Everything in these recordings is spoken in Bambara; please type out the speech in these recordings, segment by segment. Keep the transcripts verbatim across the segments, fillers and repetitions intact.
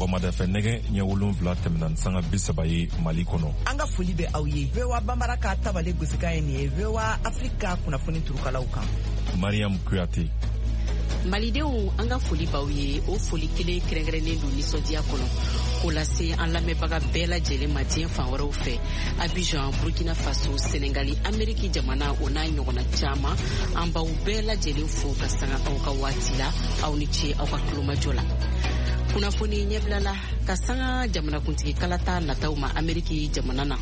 Sɔgɔmada fɛ nɛgɛ ɲɛ wolonwula tɛmɛna ni sanga bi saba ye Mali kɔnɔ. An ka foli bɛ aw ye. V O A Banbara ka tabale gosikan ye nin ye V O A Afrique kunnafoni turukalaw kan. Mariam Kuyate. Malidenw, an ka foli b'aw ye. O foli kelen kɛrɛnkɛrɛnnen don nisɔndiya kɔnɔ k'o lase an lamɛnbaga bɛɛ lajɛlen ma diɲɛ fan wɛrɛw fɛ, Abidjan, Burkina Faso, Senegali, Ameriki jamana, o n'a ɲɔgɔnna caman. An b'aw bɛɛ lajɛlen fo ka sanga aw ka waati la. Aw ni ce aw ka tulomajɔ la. Kunnafoni ɲɛbila la ka sanga jamanakuntigi kalata nataw ma Ameriki jamana na.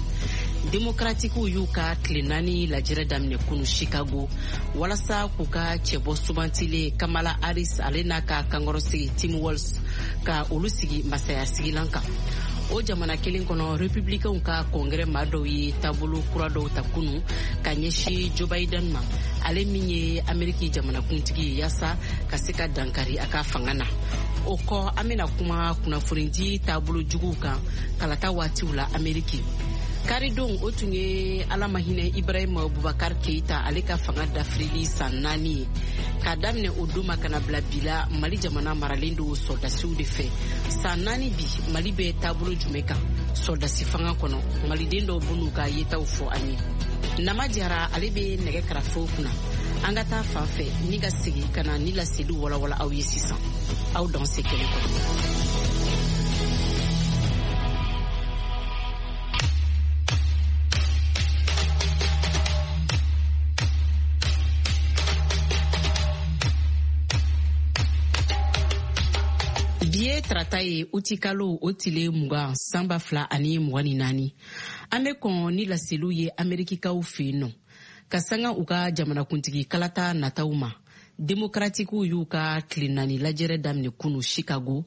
Demokratikiw y'u ka tile naani lajɛrɛ daminɛ kunu Chicago walasa k'u ka cɛbɔ sugantilen Kamala Harris, ale n'a ka kankɔrɔsigi Tim Walz, ka olu sigi masaya sigilan kan. O jamana kelen kɔnɔ, republicainw ka kɔngɛrɛ maa dɔw ye taabolo kura dɔw ta kunu ka ɲɛsin Joe Biden ma, ale min ye Ameriki jamanakuntigi ye, yaasa ka se ka dankari a ka fanga na. O kɔ, an bɛna kuma kunnafonidi taabolo juguw kan kalata waatiw la Ameriki. Karidon, o tun ye Ala ma hinɛ Ibrahim Boubacar Keita, ale ka fanga dafirili san naani ye. K'a daminɛ o don ma ka na bila bi la, Mali jamana maralen don sɔrɔdasiw de fɛ. San naani bi, Mali bɛ taabolo jumɛn kan sɔrɔdasi fanga kɔnɔ? Maliden dɔw b'u ka yetaw fɔ an ye. Nama Jara, ale bɛ nɛgɛ karafew kunna. An ka taa fan fɛ ni ka segin ka na ni laseliw walawala aw ye sisan. Aw dan se kɛnɛ kɔnɔ. Tarata ye utikalo o tile mugan san ba fila ani mugan ni naani. An bɛ kɔn ni laseliw ye Amerikikaw fɛ yen nɔ ka sanga u ka jamanakuntigi kalata nataw ma. Demokratikiw y'u ka tile naani lajɛrɛ daminɛ kunu Chicago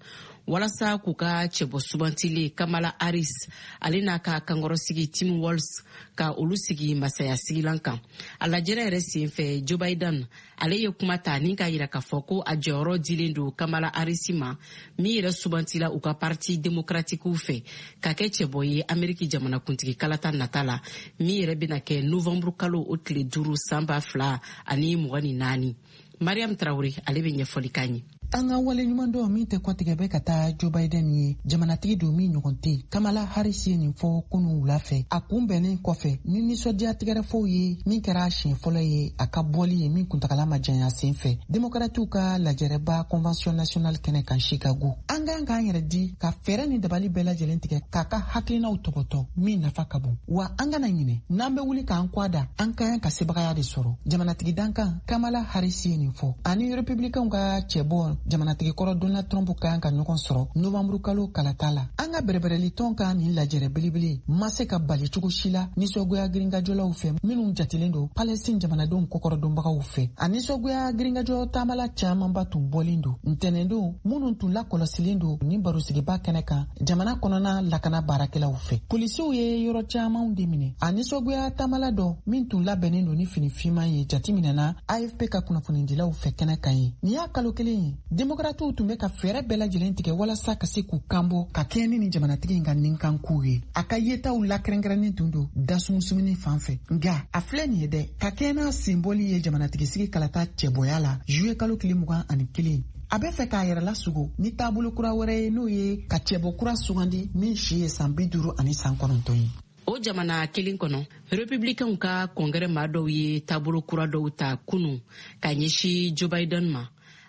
walasa k'u ka cɛbɔ sugantilen Kamala Harris, ale n'a ka kankɔrɔsigi Tim Walz, ka olu sigi masaya sigilan kan. A lajɛrɛ yɛrɛ senfɛ, Joe Biden, ale ye kuma ta ni k'a yira k'a fɔ ko a jɔyɔrɔ dilen don Kamala Harris ma, min yɛrɛ sugantila u ka parti démocratiquew fɛ ka kɛ cɛbɔ ye Ameriki jamanakuntigi kalata nata la, min yɛrɛ bɛna kɛ novembre kalo o tile duuru san ba fila ani mugan ni naani. Mariam Traoré, ale bɛ ɲɛfɔli k'an ye. An ka waleɲuman dɔw min tɛ kɔtigɛ bɛ ka taa Joe Biden ye, jamanatigi don min ɲɔgɔn tɛ. Kamala Harris ye nin fɔ kunu wula fɛ, a kunbɛnnen kɔfɛ ni nisɔndiya tigɛrɛfɔw ye, min kɛra siɲɛ fɔlɔ ye a ka bɔli ye min kuntagala ma janya sen fɛ Demokratiw ka lajɛrɛba Convention nationale kɛnɛ kan Chicago. An kan k'an yɛrɛ di ka fɛɛrɛ ni dabali bɛɛ lajɛlen tigɛ k'a ka hakilinaw tɔbɔtɔ min nafa ka bon. Wa an kana ɲinɛ, n'an bɛ wuli k'an kɔ da, an ka kan ka sebagaya de sɔrɔ. Jamanatigi dankan Kamala Harris ye nin fɔ, ani Republicainw ka cɛbɔ jamanatigi kɔrɔ Donald Trump kan ka ɲɔgɔn sɔrɔ novembre kalo kalata la. An ka bɛrɛbɛrɛlitɔn ka nin lajɛrɛ belebele ma se ka bali cogo si la nisɔngoya girinkajɔlaw fɛ minnu jatelen don Palestine jamanadenw kɔkɔrɔdonbagaw fɛ. A nisɔngoya girinkajɔ taamala camanba tun bɔlen don ntɛnɛndon, minnu tun lakɔlɔsilen don nin barosigiba kɛnɛ kan jamana kɔnɔna lakana baarakɛlaw fɛ. Polisiw ye yɔrɔ camanw de minɛ. A nisɔngoya taamala dɔ min tun labɛnnen don ni fini finman ye jatiminɛna A F P ka kunnafonidilaw fɛ kɛnɛ kan ye. Nin y'a kalo kelen ye Demokratiw tun bɛ ka fɛɛrɛ bɛɛ lajɛlen tigɛ walasa ka se k'u kanbɔ ka kɛɲɛ ni nin jamanatigi in ka ninkankow ye. A ka yetaw lakɛrɛnkɛrɛnnen tun don dasumusumuni fan fɛ. Nka a filɛ nin ye dɛ, ka kɛɲɛ n'a senbɔli ye jamanatigisigi kalata cɛbɔya la juillet kalo tile mugan ani kelen, a bɛ fɛ k'a yɛrɛ lasugo ni taabolo kura wɛrɛ ye, n'o ye ka cɛbɔ kura sugandi min si ye san bi duuru ani san kɔnɔntɔn ye. O jamana kelen kɔnɔ, republicainw ka kɔngɛrɛ maa dɔw ye taabolo kura dɔw ta kunu ka ɲɛsin Joe Biden ma,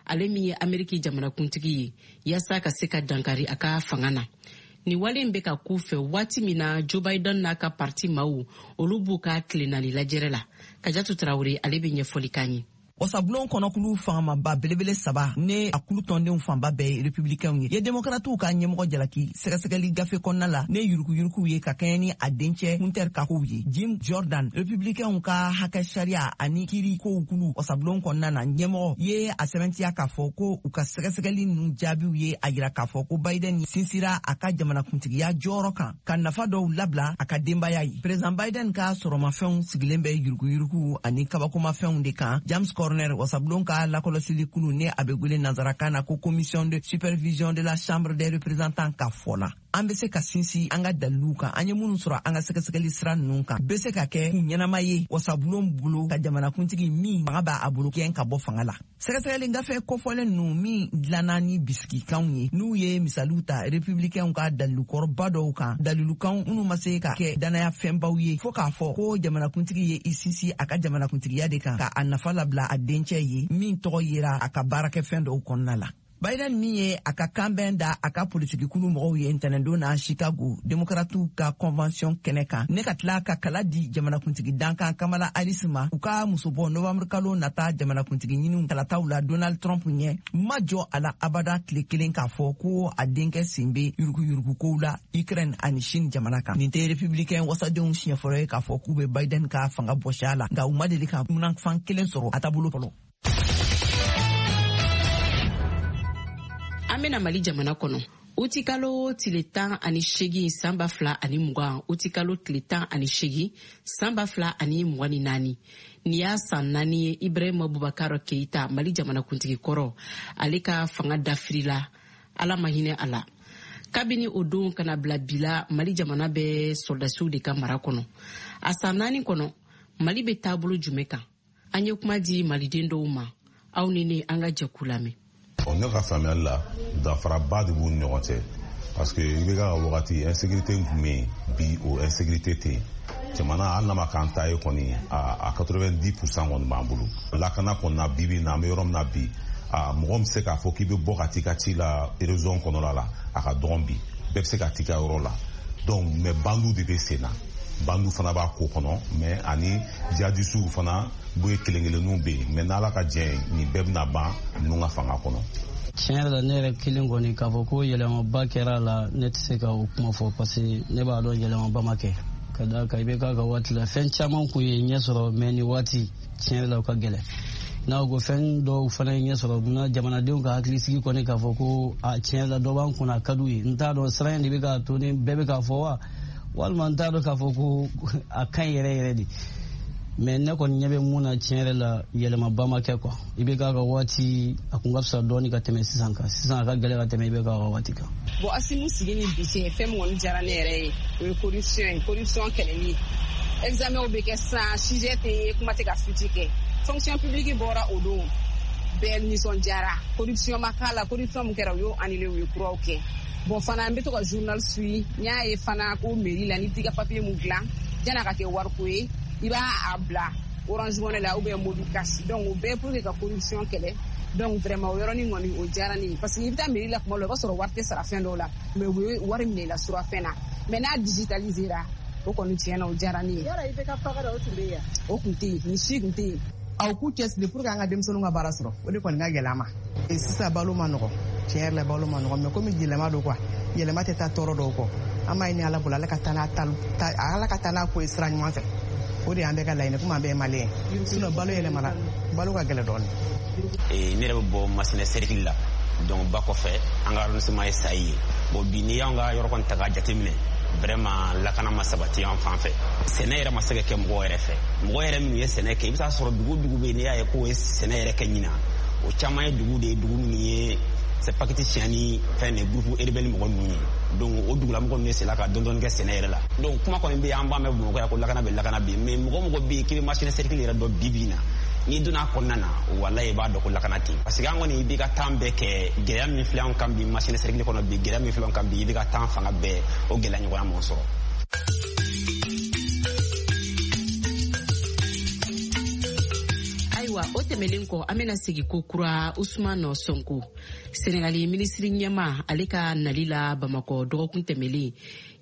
ale min ye Ameriki jamanakuntigi ye, yaasa ka se ka dankari a ka fanga na. Nin wale in bɛ ka k'u fɛ waati min na Joe Biden n'a ka parti maaw, olu b'u ka tile naani lajɛrɛ la. Kajatu Traoré, ale bɛ ɲɛfɔli k'an ye. Wasabulon kɔnɔkulu fangamaba belebele saba ne a kulu tɔndenw fanba bɛɛ ye republicainw ye, ye demokratiw ka ɲɛmɔgɔ jalaki sɛgɛsɛgɛli gafe kɔnɔna la ne yuruguyuruguw ye ka kɛɲɛ ni a dencɛ Hunter ka kow ye. Jim Jordan, republicainw ka hakɛ sariya ani kiiri kow kulu wasabulon kɔnɔna na ɲɛmɔgɔ, ye a sɛbɛntiya k'a fɔ ko u ka sɛgɛsɛgɛli ninnu jaabiw ye a yira k'a fɔ ko Biden sinsira a ka jamanakuntigiya jɔyɔrɔ kan ka nafa dɔw labila a ka denbaya ye. Président Biden ka sɔrɔmafɛnw sigilen bɛ yuruguyurugu ani kabakomafɛnw de kan. James Corner, wasabulon ka lakɔlɔsili kulu ne a bɛ wele nansarakan na ko commission de supervision de la chambre des représentants ka fɔ la. An bɛ se ka sinsin an ka daliluw kan, an ye minnu sɔrɔ an ka sɛgɛsɛgɛli sira ninnu kan, bɛ se ka kɛ kun ɲɛnama ye wasabulon bolo ka jamanakuntigi min fanga b'a bolo gɛn ka bɔ fanga la. Sɛgɛsɛgɛli gafe kofɔlen ninnu min dilanna ni bisikikanw ye, n'u ye misaliw ta republicainw ka dalilukɔrɔba dɔw kan, dalilukanw minnu ma se ka kɛ danaya fɛnbaw ye, fo k'a fɔ ko jamanakuntigi ye i sinsin a ka jamanakuntigiya de kan ka a nafa labila a dencɛ ye min tɔgɔ yera a ka baarakɛfɛn dɔw kɔnɔna la. Biden min ye a ka kanbɛn da a ka politikikulu mɔgɔw ye ntɛnɛndon na Chicago demokratiw ka convention kɛnɛ kan, ne ka tila ka kala di jamanakuntigi dankan Kamala Harris ma u ka musobɔ novembre kalo nata jamanakuntigi ɲiniw kalataw la Donald Trump ɲɛ, ma jɔ a la abada tile kelen k'a fɔ ko a denkɛ sen bɛ yuruguyurugukow la Ukraine ani Chine jamana kan. Nin tɛ républicain wasadenw siɲɛ fɔlɔ ye k'a fɔ k'u bɛ Biden ka fanga bɔsi a la, nka u ma deli ka munafan kelen sɔrɔ a taabolo fɔlɔ. An bena Mali jamana kɔnɔ. Utikalo tile tan ani seegin san ba fila ani mugan, utikalo tile tan ani seegin san ba fila ani mugan ni naani. Nin y'a san naani ye Ibrahima Boubacar Keïta, Mali jamanakuntigi kɔrɔ, ale ka fanga dafirila, Ala ma hinɛ a la. Kabini o don kana bila bi la, Mali jamana bɛ sɔrɔdasiw de ka mara kɔnɔ. A san naani kɔnɔ, Mali bɛ taabolo jumɛn kan? An ye kuma di maliden dɔw ma, aw ni ne an ka jɛkulu lamɛn. Ne ka faamuyali la, danfaraba de b'u ni ɲɔgɔn cɛ, parce que i bɛ ka wagati insécurité tun bɛ yen, bi o insécurité tɛ yen. Jamana hali n'a ma k'an ta ye kɔni, a quatre-vingt-dix pour cent kɔni b'an bolo. Lakana kɔni na, bi bi in na, an bɛ yɔrɔ min na bi, a mɔgɔ min bɛ se k'a fɔ k'i bɛ bɔ ka t'i ka ci la région kɔnɔna la, a ka dɔgɔn bi, bɛɛ bɛ se ka t'i ka yɔrɔ la. Donc mais bandiw de bɛ sen na, bandiw fana b'a ko kɔnɔ, mais ani jihadisiw fana bɛ kelen kelenninw bɛ yen, mais n'Ala ka jɛ ye, nin bɛɛ bɛna ban ninnu ka fanga kɔnɔ. Tiɲɛ yɛrɛ la, ne yɛrɛ kelen kɔni k'a fɔ ko yɛlɛmaba kɛra a la, ne tɛ se ka o kuma fɔ, parce que ne b'a dɔn yɛlɛmaba ma kɛ. Ka d'a kan i bɛ k'a ka waati la, fɛn caman kun ye ɲɛ sɔrɔ, mais nin waati tiɲɛ yɛrɛ la o ka gɛlɛn. N'a ko fɛn dɔw fana ye ɲɛ sɔrɔ, munna jamanadenw ka hakilisigi kɔni k'a fɔ ko a tiɲɛ yɛrɛ la dɔ b'an kunna a ka d'u ye. N t'a dɔn siran in de bɛ k'a to ni bɛɛ bɛ k'a fɔ wa, walima n t'a dɔn k'a fɔ ko a ka ɲi yɛrɛ yɛrɛ de. Mais ne kɔni ɲɛ bɛ mun na, tiɲɛ yɛrɛ la yɛlɛmaba ma kɛ quoi. I bɛ k'a ka waati a kun ka fisa dɔɔni ka tɛmɛ sisan kan, sisan a ka gɛlɛn ka tɛmɛ i bɛ k'a ka waati kan. Bon, Asimu sigi ni bi cɛ, fɛn min kɔni diyara ne yɛrɛ ye, o ye corruption ye, corruption kɛlɛli ye. Examen bɛ kɛ sisan, sujet tɛ ye, kuma tɛ ka fuite kɛ. Fonction publique bɔra o don, bɛɛ nisɔndiyara. Corruption ma k'a la, corruption min kɛra u y'o annulé, u ye kuraw kɛ. Bon, fana n bɛ to ka journal suit, n y'a ye fana ko mairie la, n'i t'i ka papier mun dilan, yan'a ka kɛ wariko ye, i b'a a bila Orange Money la ou bien Mobicash. Donc o bɛɛ pour que ka corruption kɛlɛ. Donc vraiment o yɔrɔnin kɔni o diyara ne ye, parce que i bɛ taa mairie la kuma dɔ la, i b'a sɔrɔ wari tɛ sara fɛn dɔw la, mais u bɛ wari minɛ i la surafɛn na. Mais n'a digitalisera, o kɔni tiɲɛ na o diyara ne ye. Yala i bɛ ka faga da o tun bɛ yen? O tun tɛ yen, nin si tun tɛ yen. Aw k'u cɛsiri pour que an ka denmisɛnninw ka baara sɔrɔ, o de kɔni ka gɛlɛn an ma. Sisan balo ma nɔgɔn, tiɲɛ yɛrɛ la balo ma nɔgɔn, mais komi yɛlɛma don quoi, yɛlɛma tɛ taa tɔɔrɔ dɔw kɔ. An b'a ɲini Ala bolo, Ala ka taa n'a Ala ka taa n'a ko ye sira ɲuman fɛ. O de y'an bɛɛ ka laɲini, komi an bɛɛ ye maliyɛn ye. Sinon balo yɛlɛmana, balo ka gɛlɛn dɔɔnin. Ne yɛrɛ bɛ bɔ Masina cercle la, donc ba kɔfɛ an ka arrondissement ye Sayi ye. Bon, bi n'i y'an ka yɔrɔ kɔni ta k'a jateminɛ, vraiment lakana ma sabati an fan fɛ. Sɛnɛ yɛrɛ ma se ka kɛ mɔgɔw yɛrɛ fɛ. Mɔgɔ yɛrɛ minnu ye sɛnɛ kɛ, i bɛ taa sɔrɔ dugu dugu bɛ yen, n'i y'a ye k'o ye sɛnɛ yɛrɛ kɛ ɲinan, o caman ye dugu de ye, dugu minnu ye c'est paquet tiɲɛ ni fɛn de groupe rebelle mɔgɔ ninnu ye. Donc o dugulamɔgɔ ninnu sela ka dɔɔni dɔɔni kɛ sɛnɛ yɛrɛ la. Donc kuma kɔni bɛ yen, an b'a mɛn Bamakɔ yan ko lakana bɛ lakana bɛ yen, mais mɔgɔ mɔgɔ bɛ yen k'i bɛ Masina cercle yɛrɛ dɔn bi bi in na, n'i donna a kɔnɔna na, walayi i b'a dɔn ko lakana tɛ yen. Parce que an kɔni i b'i ka temps bɛɛ kɛ, gɛlɛya min filɛ an kan bi Masina cercle kɔnɔ bi, gɛlɛya min filɛ an kan bi, i b'i ka temps fanga bɛɛ o gɛlɛya ɲɔgɔnna m'o sɔrɔ. Ayiwa, o tɛmɛlen kɔ, an bɛna segi ko kura Ousmane Sonko, Senegali minisiri ɲɛma, ale ka nali la Bamakɔ dɔgɔkun tɛmɛlen,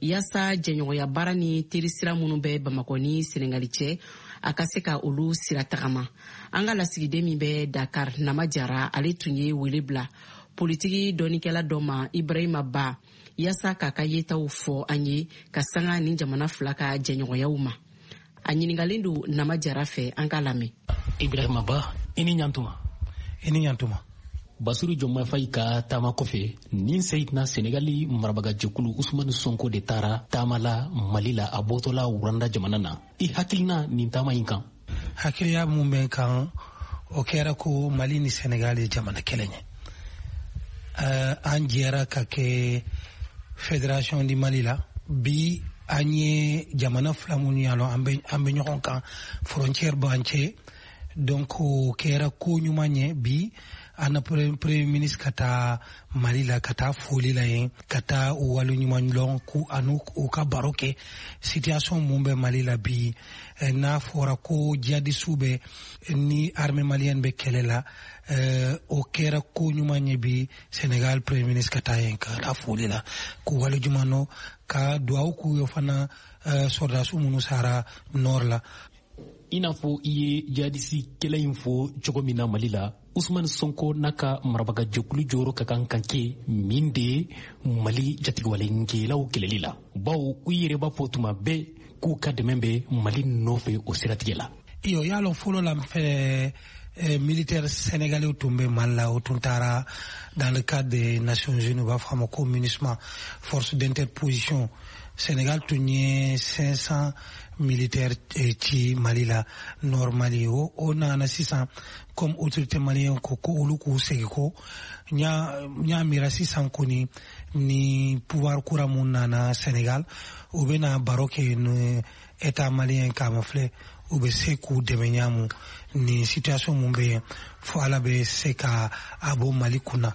yaasa jɛɲɔgɔnya baara ni terisira minnu bɛ Bamakɔ ni Senegali cɛ, a ka se ka olu sira tagama. An ka lasigiden min bɛ Dakar, Nama Jara, ale tun ye wele bila politiki dɔnnikɛla dɔ ma, Ibrahima Ba, yaasa k'a ka yetaw fɔ an ye ka sanga ni jamana fila ka jɛɲɔgɔnyaw ma. A ɲininkalen don Nama Jara fɛ, an k'a lamɛn. Ibrahima Ba, i ni ɲantuma. I ni ɲantuma. Basiru Diomaye Faye ka taama kɔfɛ, nin seyidina Senegali marabagajɛkulu Ousmane Sonko de taara taama la Mali la, a bɔtɔla Rwanda jamana na. I hakilina nin taama in kan? Hakiliya mun bɛ kan, o kɛra ko Mali ni Senegal ye jamana kelen ye. Uh, an jɛra ka kɛ Fédération du Mali la. Bi an ye jamana fila minnu y'a lɔn, an bɛ an bɛ ɲɔgɔn kan, frontière b'an cɛ, donc o kɛra ko ɲuman ye bi an na premier ministre ka taa Mali la, ka taa foli la yen, ka taa u waleɲuman lɔn k'u ani u ka baro kɛ situation mun bɛ Mali la bi. N'a fɔra ko jihadisiw bɛ ni armée malienne bɛ kɛlɛ la, o kɛra ko ɲuman ye bi Sénégal premier ministre ka taa yen, ka taa foli la, k'u waleɲuman lɔn, ka duwawu k'u ye fana sɔrɔdasiw minnu sara nord la. I n'a fɔ i ye jihadisi kɛlɛ in fɔ cogo min na Mali la, Ousmane Sonko n'a ka marabagajɛkulu jɔyɔrɔ ka kan ka kɛ min de ye Mali jatigɛwalenkɛlaw kɛlɛli la, bawo u yɛrɛ b'a fɔ tuma bɛɛ k'u ka dɛmɛ bɛ Mali nɔfɛ o siratigɛ la. Iyo, y'a lɔn fɔlɔ la fɛ militaire sénégalais tun bɛ Mali la, o tun taara dans le cadre des Nations Unies, u b'a fɔ a ma ko MINUSMA, force d'interposition. Sénégal tun ye cinq cents militaires ci Mali la, nord Mali. O o nana sisan, comme autorité malienne ko ko olu k'u segin ko n y'a miira sisan kɔni ni pouvoir kura mun nana Sénégal, u bɛna baro kɛ ni état malien k'a ma filɛ u bɛ se k'u dɛmɛ ɲamu ni situation mun bɛ yen, fo Ala bɛ se ka a bɔ Mali kunna.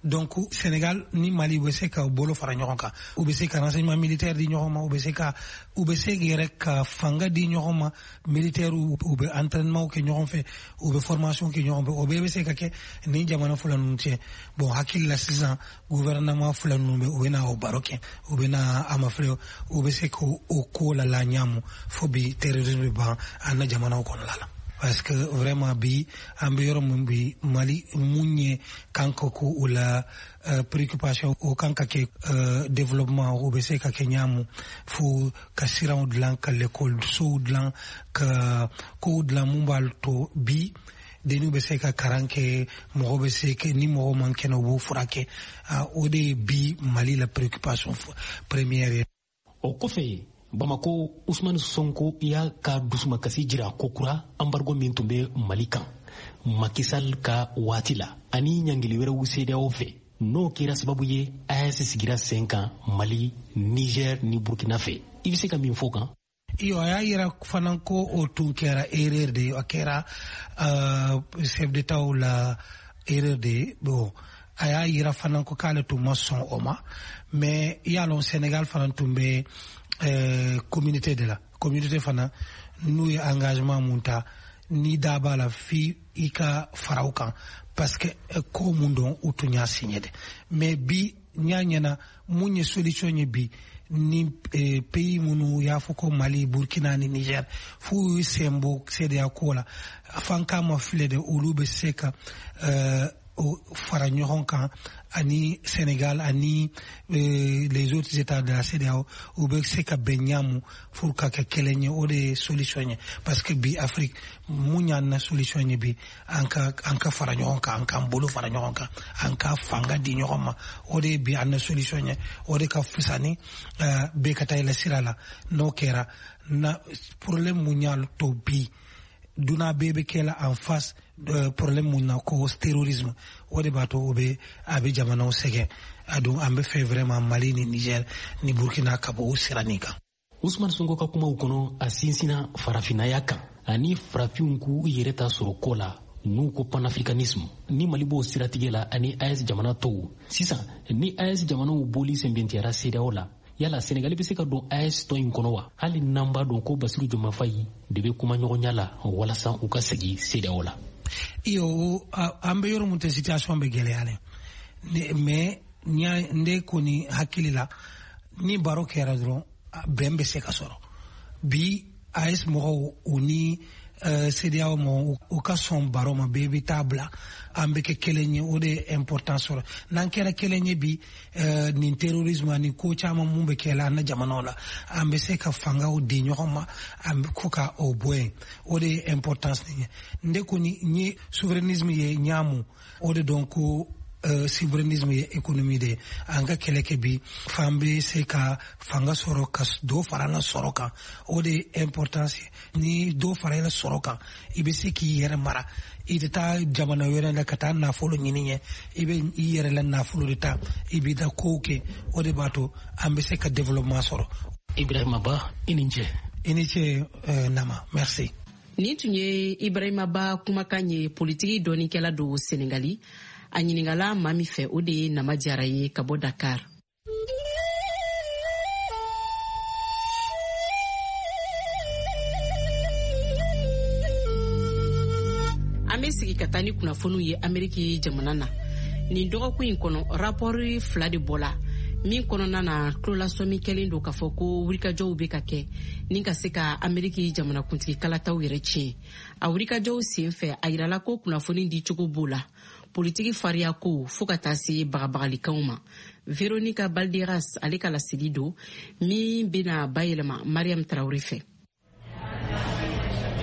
Donc Sénégal ni Mali u bɛ se ka bolo fara ɲɔgɔn kan, u bɛ se ka renseignement militaire di ɲɔgɔn ma, u bɛ se ka u bɛ se yɛrɛ ka fanga di ɲɔgɔn ma, militaire u bɛ entraînement kɛ ɲɔgɔn fɛ, u bɛ formation kɛ ɲɔgɔn fɛ, o bɛɛ bɛ se ka kɛ ni jamana fila ninnu cɛ. Bon, hakili la sisan gouvernement fila ninnu bɛ u bɛ na o baro kɛ, u bɛ na a ma filɛ u bɛ se k'o ko la la ɲaamu fo bi terrorisme bɛ ban an na jamanaw kɔnɔna la. Parce que vraiment bi an bɛ yɔrɔ min bi Mali, mun ye kan ka ko o la préoccupation, o kan ka kɛ développement, o bɛ se ka kɛ ɲaamu fo ka siraw dilan, ka lekɔlisow dilan, ka kow dilan mun b'a to bi denniw bɛ se ka karan kɛ, mɔgɔ bɛ se ni mɔgɔ man kɛnɛ u b'o furakɛ. O de ye bi Mali la préoccupation première ye. O kɔfɛ, Bamako, Ousmane Sonko y'a ka dusumakasi jira kokura embargo min tun bɛ Mali kan Macky Sall ka waati la ani ɲangili wɛrɛw CEDEAO fɛ, n'o kɛra sababu ye A E S sigira sen kan Mali, Niger ni Burkina fɛ. I bɛ se ka min fɔ kan? Iyo, a y'a yira fana ko o tun kɛra erreur de ye, a kɛra chef d'état la erreur de ye. Bon, a y'a yira fana ko k'ale tun ma sɔn o ma, mais i y'a lɔn Sénégal fana tun bɛ euh, communauté de la communauté fana, n'u ye engagement mun ta, ni da b'a la fi i ka fara o kan, parce que ko mun don, u tun y'a signé de. Mais bi n y'a ɲɛna mun ye solution ye bi ni eh, pays minnu y'a fɔ ko Mali, Burkina ni Niger f'u y'u sen bɔ CEDEAO ko la, fan k'a ma filɛ de, olu bɛ se ka euh, fara ɲɔgɔn kan ani Sénégal ani euh, les autres états de la CEDEAO, u bɛ se ka bɛn ɲaamu pour ka kɛ kelen ye. O de ye solution ye, parce que bi Afrique mun y'an na solution ye bi, an ka an ka fara ɲɔgɔn kan, an k'an bolo fara ɲɔgɔn kan, an ka fanga di ɲɔgɔn ma, o de ye bi an na solution ye. O de ka fisa ni uh, bɛɛ ka taa i la sira la. N'o kɛra na problème mun y'a to bi duna bɛɛ bɛ kɛ la en face euh, problème mun na ko terrorisme, o de b'a to o bɛ a bɛ jamanaw sɛgɛn. A don an bɛ fɛ vraiment Mali ni Niger ni Burkina ka bɔ o sira nin kan. Ousmane Sonko ka kumaw kɔnɔ, a sinsinna farafinnaya kan ani farafinw k'u yɛrɛ ta sɔrɔ ko la, n'u ko panafricanisme, ni Mali b'o siratigɛ la ani A E S jamana tɔw. Sisan ni A E S jamanaw bɔli sɛnbɛntiyara CEDEAO la, yala Senegali bɛ se ka don A E S tɔn in kɔnɔ wa, hali n'an b'a dɔn ko Basiru Diomaye Faye de bɛ kuma ɲɔgɔnya la walasa u ka segin CEDEAO la? Iyo, an bɛ yɔrɔ mun tɛ, situation bɛ gɛlɛya dɛ, mais ne kɔni hakili la ni baro kɛra dɔrɔn, bɛn bɛ se ka sɔrɔ. Bi A E S mɔgɔw u ni CEDEAO mɔgɔw u ka sɔn baro ma, bɛɛ bɛ taa bila an bɛ kɛ kelen ye, o de ye important sɔrɔ. N'an kɛra kelen ye bi, nin terrorisme ani ko caman mun bɛ kɛ la an na jamanaw la, an bɛ se ka fangaw di ɲɔgɔn ma, an bɛ ko ka o bɔ yen, o de ye importance nin ye. Ne kɔni n ye souverainisme ye ɲaamu, o de dɔn ko euh, souverainisme ye économie de ye. An ka kɛlɛ kɛ bi f'an bɛ se ka fanga sɔrɔ ka dɔ fara an ka sɔrɔ kan, o de ye importance ye. Ni dɔ fara i ka sɔrɔ kan, i bɛ se k'i yɛrɛ mara, i tɛ taa jamana wɛrɛ la ka taa nafolo ɲini ɲɛ, i bɛ i yɛrɛ la nafolo de ta, i b'i ta kow kɛ, o de b'a to an bɛ se ka développement sɔrɔ. Ibrahima Ba, i ni ce. I ni ce euh, Nama, merci. Nin tun ye Ibrahima Ba kumakan ye, politiki dɔnnikɛla don Senegali. A ɲininkala maa min fɛ, o de ye Nama Jara ye ka bɔ Dakar. An bɛ sigi ka taa ni kunnafoniw ye Ameriki jamana na. Nin dɔgɔkun in kɔnɔ, rapɔri fila de bɔla min kɔnɔna na tulolasɔmi kɛlen don k'a fɔ ko wulikajɔw bɛ ka kɛ ni ka se ka Ameriki jamanakuntigi kalataw yɛrɛ tiɲɛ. A wulikajɔw sen fɛ, a yirala ko kunnafoni di cogo b'o la, politiki fariya ko fo ka taa se bagabagalikanw ma. Veronica Balderas ale ka laseli don min bɛna bayɛlɛma Mariam Traoré fɛ.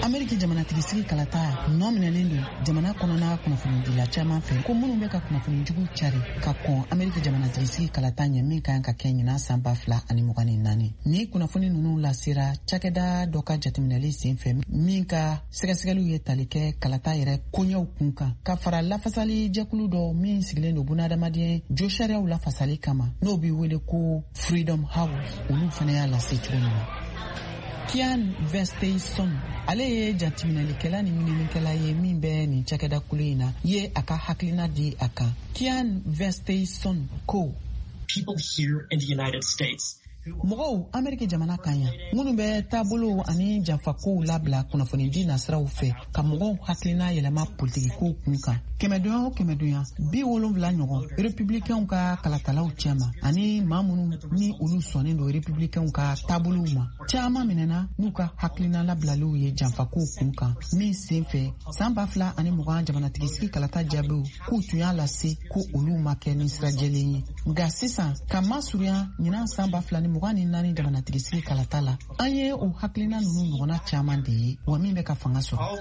Ameriki jamanatigisigi kalata nɔ minɛlen don jamana kɔnɔna kunnafonidila caman fɛ ko minnu bɛ ka kunnafoni jugu cari ka kɔn Ameriki jamanatigisigi kalata ɲɛ min kan ka kɛ ɲinan san ba fila ani mugan ni naani. Ni kunnafoni ninnu lasera cakɛda dɔ ka jateminɛli sen fɛ min ka sɛgɛsɛgɛliw ye tali kɛ kalata yɛrɛ koɲɛw kun kan, ka fara lafasali jɛkulu dɔ min sigilen don bunadamaden josariyaw lafasali kama, n'o bɛ wele ko Freedom House, olu fana y'a lase cogo min na. Kian Vesteyson, ale ye jateminɛlikɛla ni ɲininikɛla ye min bɛ nin cakɛda kulu in na, ye a ka hakilina di a kan. Kian Vesteyson ko: People here in the United States, mɔgɔw Ameriki jamana kan yan minnu bɛ taabolow ani janfakow labila kunnafonidi nasiraw fɛ ka mɔgɔw hakilina yɛlɛma politikikow kun kan, kɛmɛdonya o kɛmɛdonya bi wolonfila ɲɔgɔn republikɛnw ka kalatalaw cɛma ani maa minnu ni olu sɔnnen don republikɛnw ka taabolow ma, caman minɛna n'u ka hakilina labilaliw ye janfakow kun kan min sen fɛ san ba fila ani mugan jamanatigisigi kalata jaabiw k'u tun y'a lase ko olu ma kɛ ni sira jɛlen ye. Nka sisan ka masurunya ɲinan san ba fila ni mugan ni naani jamanatigisigi kalata la, an ye o hakilina ninnu ɲɔgɔnna caman de ye wa min bɛ ka fanga sɔrɔ.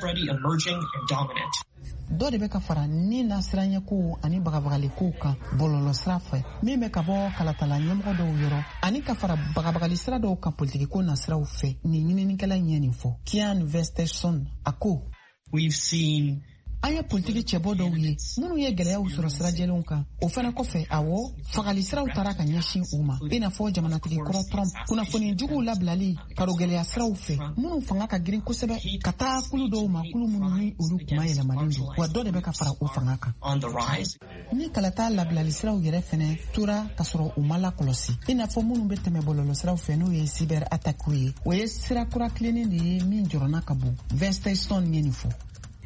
Dɔ de bɛ ka fara ni nasiranyɛkow ani bagabagaliko kan bɔlɔlɔsira fɛ min bɛ ka bɔ kalatala ɲɛmɔgɔ dɔw yɔrɔ ani ka fara bagabagali sira dɔw kan politikiko nasiraw fɛ. Nin ɲininikɛla in ye nin fɔ. Kian Vesteyson a ko: We've seen an ye politiki cɛbɔ dɔw ye minnu ye gɛlɛyaw sɔrɔ sirajɛlenw kan. O fana kɔfɛ, awɔ, fagali siraw taara ka ɲɛsin u ma, i n'a fɔ jamanatigi kɔrɔ Trump, kunnafoni juguw labilali karogɛlɛya siraw fɛ minnu fanga ka girin kosɛbɛ ka taa kulu dɔw ma, kulu minnu ni olu kuma yɛlɛmalen don, wa dɔ de bɛ ka fara o fanga kan. Ni kalata labilali siraw yɛrɛ fɛnɛ tora ka sɔrɔ u ma lakɔlɔsi, i n'a fɔ minnu bɛ tɛmɛ bɔlɔlɔ siraw fɛ, n'o ye cyber attaque ye, o ye sira kura tilennen de ye min jɔrɔna ka bon. Vesteyson ye nin fɔ.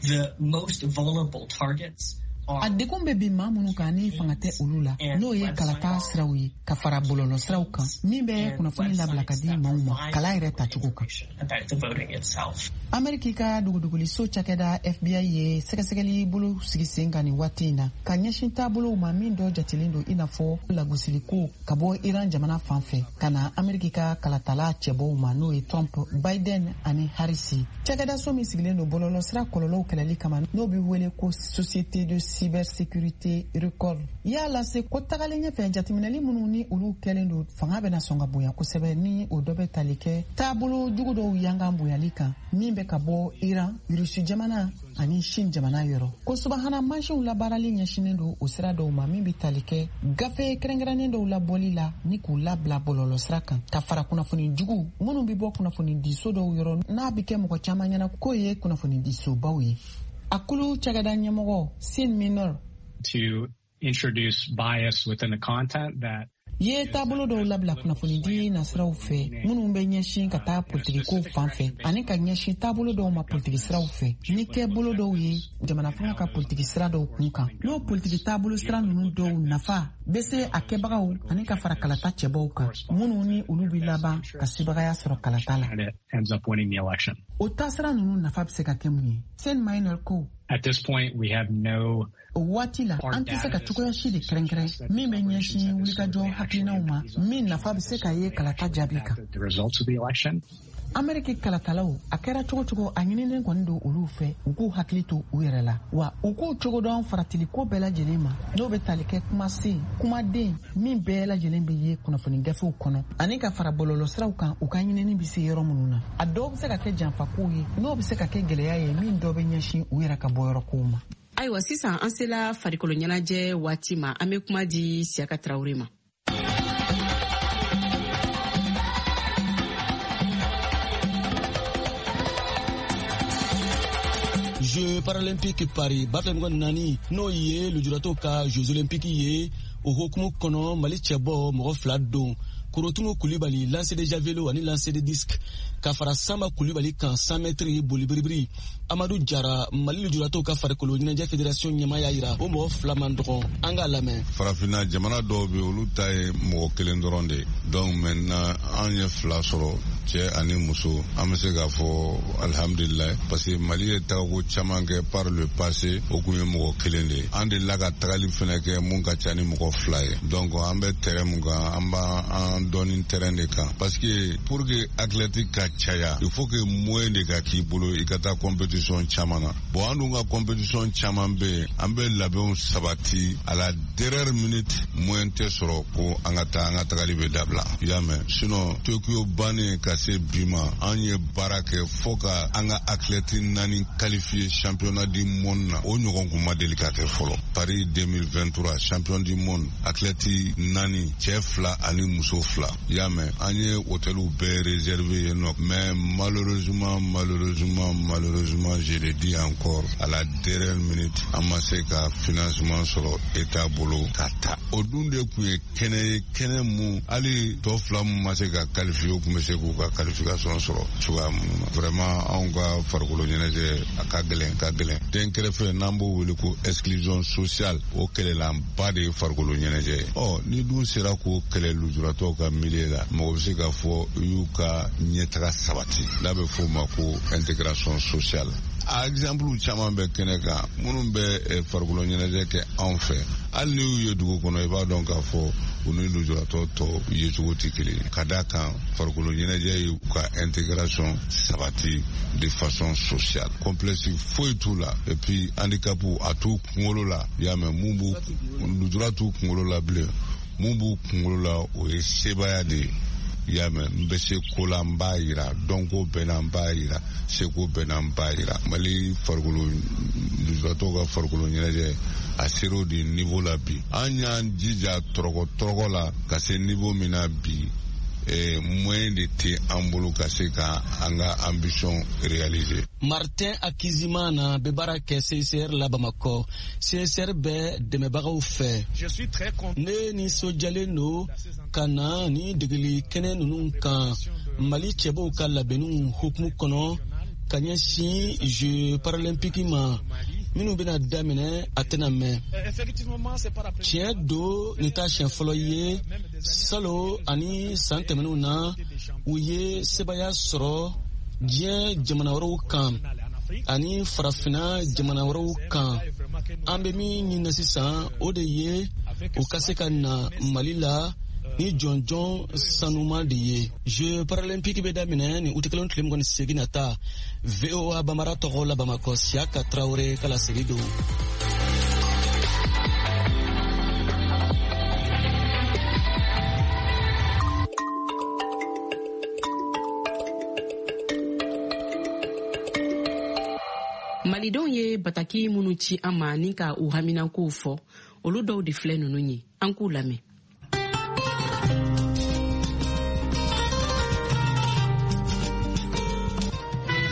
The most vulnerable targets A degun bɛ bin maa minnu kan ni fanga tɛ olu la, n'o ye kalata siraw ye ka fara bɔlɔlɔ siraw kan min bɛ kunnafoni labila ka di maaw ma kala yɛrɛ tacogo kan. Ameriki ka duguduguli-so cakɛda F B I ye sɛgɛsɛgɛli bolo sigi sen kan nin waati in na ka ɲɛsin taabolow ma min dɔ jatelen don i n'a fɔ lagosiliko ka bɔ Iran jamana fan fɛ ka na Ameriki ka kalatala cɛbɔw ma, n'o ye Trump, Biden ani Harris. Cakɛdaso min sigilen don bɔlɔlɔ sira kɔlɔlɔw kɛlɛli kama, n'o bɛ wele ko Société de cybersécurité Record, y'a lase ko tagalen ɲɛfɛ jateminɛli minnu ni olu kɛlen don fanga bɛna sɔn ka bonya kosɛbɛ, ni o dɔ bɛ tali kɛ taabolo jugu dɔw yankan bonyali kan min bɛ ka bɔ Iran, Rusi jamana ani Chine jamana yɔrɔ. Ko subahana mansinw labaarali ɲɛsinnen don o sira dɔw ma min bɛ tali kɛ gafe kɛrɛnkɛrɛnnen dɔw labɔli la ni k'u labila bɔlɔlɔ sira kan, ka fara kunnafoni jugu minnu bɛ bɔ kunnafonidiso dɔw yɔrɔ n'a bɛ kɛ mɔgɔ caman ɲɛna k'o ye kunnafonidisobaw ye. A kulu cakɛda ɲɛmɔgɔ Sin Minor to introduce bias within the content that ye taabolo dɔw labila kunnafonidi nasiraw fɛ minnu bɛ ɲɛsin ka taa politikikow fan fɛ ani ka ɲɛsin taabolo dɔw ma politiki siraw fɛ ni kɛ bolo dɔw ye jamana fanga ka politiki sira dɔw kun kan, n'o politiki taabolo sira ninnu dɔw nafa bɛ se a kɛbagaw ani ka fara kalata cɛbɔw kan minnu ni olu bɛ laban ka sebagaya sɔrɔ kalata la. O taasira ninnu nafa bɛ se ka kɛ mun ye? Sen Minor ko: At this point, we have no o waati la, an tɛ se ka cogoya si de kɛrɛnkɛrɛn min bɛ ɲɛsin wulikajɔ hakilinaw ma min nafa bɛ se ka ye kalata jaabi kan. Ameriki kalatalaw, a kɛra cogo cogo, a ɲininen kɔni don olu fɛ u k'u hakili to u yɛrɛ la, wa u k'u cogo dɔn faratiliko bɛɛ lajɛlen ma, n'o bɛ tali kɛ kumasen, kumaden min bɛɛ lajɛlen bɛ ye kunnafoni gafew kɔnɔ ani ka fara bɔlɔlɔsiraw kan, u ka ɲinini bɛ se yɔrɔ minnu na. A dɔw bɛ se ka kɛ janfakow ye, n'o bɛ se ka kɛ gɛlɛya ye min dɔ bɛ ɲɛsin u yɛrɛ ka bɔyɔrɔkow ma. Ayiwa, sisan an sela farikolo ɲɛnajɛ waati ma. An bɛ kuma di Siyaka Tarawele ma. Jeux paralympiques Paris ba fila mugan ni naani, n'o ye lujuratɔw ka Jeux olympiques ye, o hukumu kɔnɔ, Mali cɛbɔ mɔgɔ fila don, Korotumu Kulibali, lancer de javelot ani lancer de disque, ka fara Samba Kulibali kan, cent mètres boli biribiri. Amadu Jara, Mali lujuratɔw ka farikolo ɲɛnajɛ fédération ɲɛmaa, y'a yira o mɔgɔ fila man dɔgɔn. An k'a lamɛn. Farafinna jamana dɔw bɛ, olu ta ye mɔgɔ kelen dɔrɔn de ye. Donc maintenant an ye fila sɔrɔ, cɛ ani muso. An bɛ se k'a fɔ alihamudulilayi, parce que Mali ye tagako caman kɛ par le passé, o kun ye mɔgɔ kelen de ye. An delila ka tagali fɛnɛ kɛ mun ka ca ni mɔgɔ fila ye. Donc an bɛ terrain mun kan, an b'an dɔɔni terrain de kan, parce que pour que athlète ka caya, il faut que moyen de ka k'i bolo i ka taa compétition caman na. Bon, an dun ka compétition caman bɛ yen, an bɛ labɛnw sabati, à la dernière minute moyen tɛ sɔrɔ ko an ka taa, an ka tagali bɛ dabila, i y'a mɛn. Sinon Tokyo bannen ka se bi ma, an ye baara kɛ fo ka an ka athlète naani qualifié championnat du monde na. O ɲɔgɔn kun ma deli ka kɛ fɔlɔ. Paris deux mille vingt-trois, champion du monde, athlète naani, cɛ fila ani muso fila, i y'a mɛn. An ye hôteliw bɛɛ réservé yen nɔ, mais malheureusement, malheureusement, malheureusement, je le dis encore, à la dernière minute an ma se ka financement sɔrɔ état bolo ka taa. O dun de kun ye kɛnɛ ye, kɛnɛ mun hali tɔ fila mun ma se ka qualifier, o kun bɛ se k'u ka qualification sɔrɔ cogoya minnu na. Vraiment, anw ka farikolo ɲɛnajɛ, a ka gɛlɛn, ka gɛlɛn. Den kɛrɛfɛ n'an b'o wele ko exclusion sociale, o kɛlɛlanba de ye farikolo ɲɛnajɛ ye. Ɔ ni dun sera k'o kɛlɛ lujuratɔw ka milieu la, mɔgɔ bɛ se k'a fɔ i y'u ka ɲɛtaga sabati, n'a bɛ f'o ma ko intégration sociale. A exemple caman bɛ kɛnɛ kan, minnu bɛ farikolo ɲɛnajɛ kɛ anw fɛ, hali n'i y'u ye dugu kɔnɔ, i b'a dɔn k'a fɔ u ni lujuratɔ tɔw yecogo tɛ kelen ye, ka d'a kan farikolo ɲɛnajɛ y'u ka intégration sabati de façon sociale. Complexe foyi t'u la, et puis handicap a t'u kunkolo la, i y'a mɛn. Mun b'u lujura t'u kunkolo la bilen, mun b'u kunkolo la, o ye sebaaya de ye, i y'a mɛn. N bɛ se ko la, n b'a yira, dɔnko bɛ na, n b'a yira, seko bɛ na, n b'a yira. Mali farikolo lujuratɔw ka farikolo ɲɛnajɛ, a ser'o de niveau la bi. An y'an jija tɔrɔkɔ tɔrɔkɔ la ka se niveau min na bi, eh, moyen de tɛ an bolo ka se ka an ka ambition réaliser. Martin Akizimana bɛ baara kɛ C I C R la Bamakɔ. C I C R bɛ dɛmɛbagaw fɛ. Ne nisɔndiyalen don ka na ni degeli kɛnɛ ninnu kan Mali cɛbɔw ka labɛnniw hukumu kɔnɔ ka ɲɛsin Jeux paralympiques ma minnu bɛna daminɛ, a tɛna mɛn. Tiɲɛ don, nin t'a siɲɛ fɔlɔ ye. Salon ani san tɛmɛnenw na, u ye sebaaya sɔrɔ diɲɛ jamana wɛrɛw kan ani farafinna jamana wɛrɛw kan. An bɛ min ɲini sisan, o de ye u ka se ka na Mali la ni jɔnjɔn sanuman de ye. Jeux paralympiques bɛ daminɛ ni utikalo tile mugan ni seegin nata. V O A Bamara tɔgɔ la Bamakɔ, Siyaka Tarawele ka laseli don. Malidenw ye bataki minnu ci an ma ni ka u haminankow fɔ, olu dɔw de filɛ ninnu ye. An k'u lamɛn.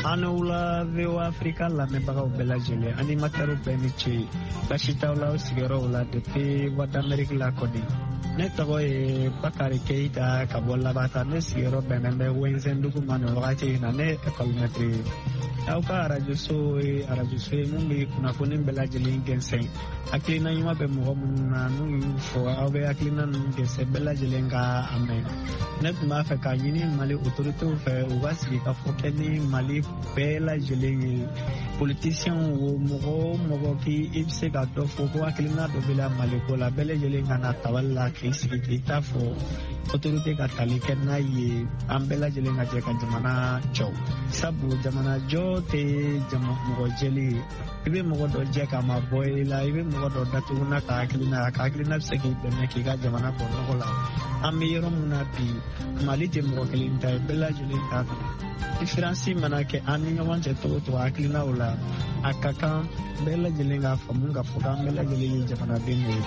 An wula, V O A Afrika lamɛnbagaw bɛɛ lajɛlen, animatɛriw bɛɛ ni ce. Basi t'aw la aw sigiyɔrɔw la depuis Voix d'Amérique la kɔni. Ne tɔgɔ ye Bakari Keyita ka bɔ Labata. Ne sigiyɔrɔ bɛnnen bɛ Wɛnzɛndugu ma nin wagati in na. Ne ye ekɔlimɛtiri ye. Aw ka arajoso ye arajoso ye mun bɛ kunnafoni bɛɛ lajɛlen gɛnsɛn. Hakilina ɲuman bɛ mɔgɔ minnu na, n'u y'u fɔ, aw bɛ hakilina ninnu gɛnsɛn, bɛɛ lajɛlen ka a mɛn. Ne tun b'a fɛ k'a ɲini Mali autoritéw fɛ, u ka sigi ka fɔ kɛ ni Mali bɛɛ lajɛlen ye, politisiyɛnw wo, mɔgɔ o mɔgɔ k'i i bɛ se ka dɔ fɔ ko hakilina dɔ b'i la Mali ko la, bɛɛ lajɛlen ka na tabali la k'i sigi k'i ta fɔ. Autorité ka tali kɛ n'a ye, an bɛɛ lajɛlen ka jɛ ka jamana jɔ, sabu jamana jɔ tɛ jama mɔgɔ jɛli ye. I bɛ mɔgɔ dɔ jɛ k'a ma bɔ i la, i bɛ mɔgɔ dɔ datugu n'a ka hakilina, a ka hakilina bɛ se k'i dɛmɛ k'i ka jamana bɔ nɔgɔ la. An bɛ yɔrɔ min na bi, Mali tɛ mɔgɔ kelen ta ye, bɛɛ lajɛlen ta kan. Différence mana kɛ an ni ɲɔgɔn cɛ cogo cogo hakilinaw la, a ka kan bɛɛ lajɛlen k'a faamu k'a fɔ k'an bɛɛ lajɛlen ye jamanaden de ye.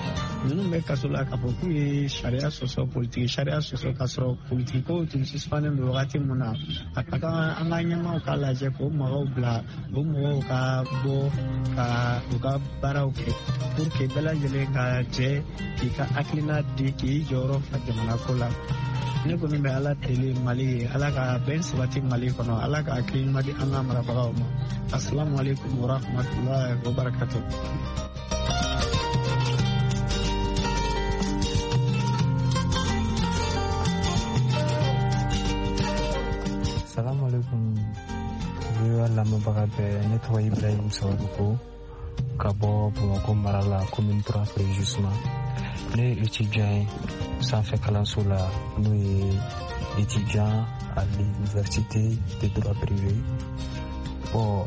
Ninnu bɛ kaso la k'a fɔ k'u ye sariya sɔsɔ, politiki sariya sɔsɔ, k'a sɔrɔ politiki kow tun suspendlen don wagati min na. A ka kan an ka ɲɛmaaw k'a lajɛ k'o mɔgɔw bila, o mɔgɔw ka bɔ ka u ka baaraw kɛ pour que bɛɛ lajɛlen ka jɛ k'i ka hakilina di, k'i jɔyɔrɔ fa jamana ko la. Ne kɔni bɛ Ala deli Mali ye, Ala ka bɛn sabati Mali kɔnɔ, Ala ka hakili ɲuman di an ka marabagaw ma. Assalamu alaikum wa rahmatullahi wa barakatuh. Salamu alaikum V O A lamɛnbaga bɛɛ, ne tɔgɔ Ibrahim Sawadogo ka bɔ Bamakɔ mara la, commune trois précisément. Ne ye étudiant ye sanfɛ kalanso la, n'o ye étudiant à l'université de droit privé. Bon,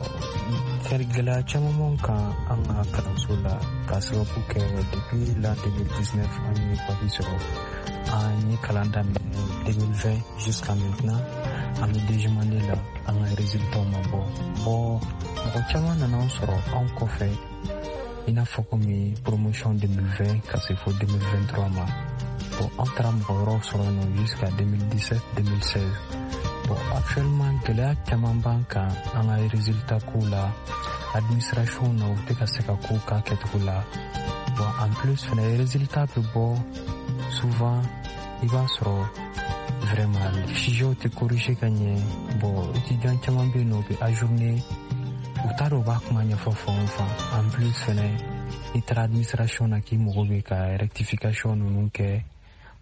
fɛn gɛlɛya caman b'an kan an ka kalanso la, k'a sababu kɛ depuis l'an deux mille dix-neuf an ye bac sɔrɔ, an ye kalan daminɛ deux mille vingt jusqu'à maintenant an bɛ deuxième année la, an ka résultat ma bɔ. Bon, mɔgɔ caman nana an sɔrɔ anw kɔfɛ, i n'a fɔ komi promotion deux mille vingt ka se fo deux mille vingt-trois ma. Bon, an taara mɔgɔ wɛrɛw sɔrɔ yen nɔ jusqu'à deux mille dix-sept deux mille seize. Bon, actuellement gɛlɛya caman b'an kan an ka résultat kow la, administration na u tɛ ka se ka kow k'a kɛcogo la. Bon, en plus fɛnɛ résultat bɛ bɔ souvent, i b'a sɔrɔ vraiment sujetw tɛ corriger ka ɲɛ. Bon, étudiant caman bɛ yen nɔ, u bɛ ajourner, u t'a dɔn u b'a kuma ɲɛfɔ fan o fan. En plus fɛnɛ n'i taara administration na k'i mago bɛ ka rectification ninnu kɛ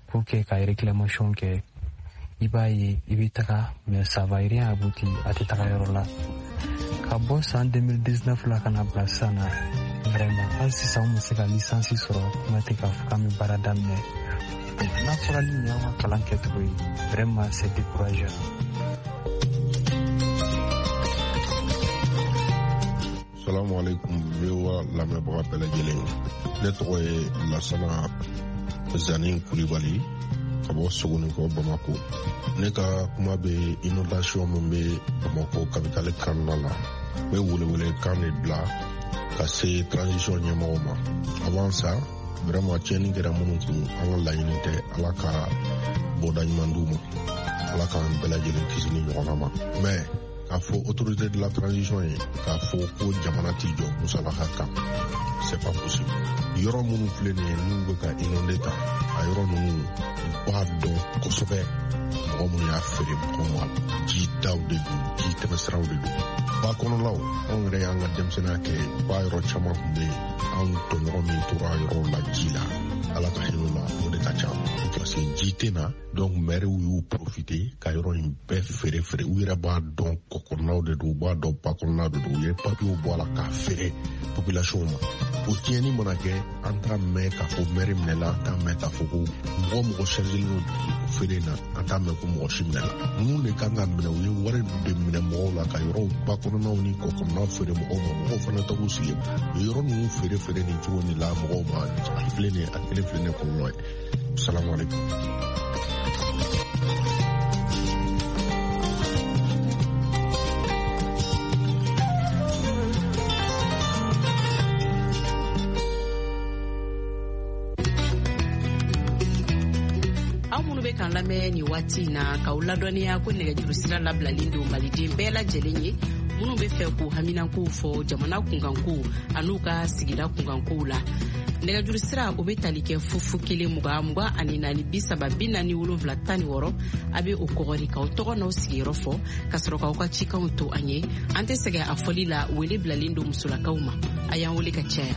pour que ka réclamation kɛ, i b'a ye i bɛ taga mais ça va rien aboutir, a tɛ taga yɔrɔ la. Ka bɔ san deux mille dix-neuf la ka na bila sisan na, vraiment hali sisan an ma se ka licence sɔrɔ, kuma tɛ k'a fɔ k'an bɛ baara daminɛ. N'a fɔra ni nin y'an ka kalan kɛcogo ye, vraiment c'est décourageant. Salamu alaikum V O A lamɛnbaga bɛɛ lajɛlen. Ne tɔgɔ ye Lasana Zani Kulibali ka bɔ Sogonikɔ Bamako. Ne ka kuma bɛ inondation min bɛ Bamako capitale kɔnɔna la. N bɛ welewele kan de bila ka se transition ɲɛmɔgɔw ma. Avant ça, vraiment tiɲɛni kɛra minnu kun, an ka laɲini tɛ, Ala ka bɔda ɲuman d'u ma, Ala k'an bɛɛ lajɛlen kisi ni ɲɔgɔnna ma. Mais k'a fɔ autorité de la transition ye k'a fɔ ko jamana t'i jɔ musalaka kan, c'est pas possible. Yɔrɔ minnu filɛ nin ye n'u bɛ ka inondé ta, a yɔrɔ ninnu u b'a dɔn kosɛbɛ mɔgɔ minnu y'a feere mɔgɔw ma, ji daw de don, ji tɛmɛsiraw de don. Ba kɔnɔlaw, anw yɛrɛ y'an ka denmisɛnninya kɛ, ba yɔrɔ caman tun bɛ yen, anw tɔɲɔgɔn min tora yɔrɔw la ji la, Ala ka hinɛ u la, o de ka ca. Parce que ji tɛ na, donc maires y'u profiter ka yɔrɔ in bɛɛ feere feere. U yɛrɛ b'a dɔn kɔkɔnɔnaw de don, u b'a dɔn ba kɔnɔnaw de don, u ye papiyew bɔ a la k'a feere population ma. O tiɲɛni mana kɛ, an t'a mɛn k'a fɔ maire minɛla, an t'a mɛn k'a fɔ ko mɔgɔ mɔgɔ chargelen don feere in na, an t'a mɛn ko mɔgɔ si minɛla. Ninnu de kan ka minɛ, u ye wari de minɛ mɔgɔw la ka yɔrɔw ba kɔnɔnaw ni kɔkɔnɔnaw feere mɔgɔw ma, mɔgɔw fana t'u sigi. U ye yɔrɔ ninnu feere feere nin cogo nin la mɔgɔw ma, a filɛ nin ye, a kelen filɛ nin ye kɔlɔlɔ ye. Salamu alaikum. Aw minnu bɛ k'an lamɛn nin waati in na, k'aw ladɔnniya ko nɛgɛjuru sira labilalen don maliden bɛɛ lajɛlen ye minnu bɛ fɛ k'u haminankow fɔ jamana kunkankow an'u ka sigida kunkankow la. Nɛgɛjuru sira o bɛ tali kɛ fufu kelen mugan mugan ani naani bi saba bi naani wolonfila tan ni wɔɔrɔ. A bɛ o kɔgɔri k'aw tɔgɔ n'aw sigiyɔrɔ fɔ ka sɔrɔ k'aw ka cikanw to an ye. An tɛ sɛgɛn a fɔli la, wele bilalen don musolakaw ma. A y'an wele ka caya.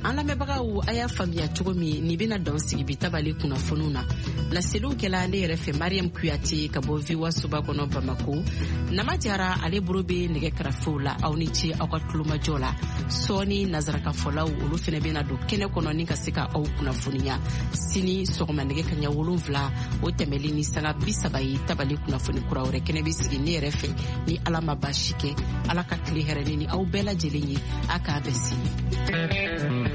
An lamɛnbagaw, a y'a faamuya cogo min nin bɛna dan sigi bi tabale kunnafoniw na. Laseliw kɛla ne yɛrɛ fɛ Mariam Kuyate ka bɔ V O A soba kɔnɔ Bamako. Nama Jara ale bolo bɛ nɛgɛ karafew la. Aw ni ce aw ka tulomajɔ la. Sɔɔni nazarakafɔlaw olu fɛnɛ bɛna don kɛnɛ kɔnɔ ni ka se ka aw kunnafoniya. Sini sɔgɔma nɛgɛ kaɲa wolonfila o tɛmɛli ni sanga bi saba ye tabali kunnafoni kura wɛrɛ kɛnɛ bɛ sigi ne yɛrɛ fɛ ni Ala ma baasi kɛ. Ala ka tile hɛrɛ ne ni aw bɛɛ lajɛlen ye. A k'a bɛn sini.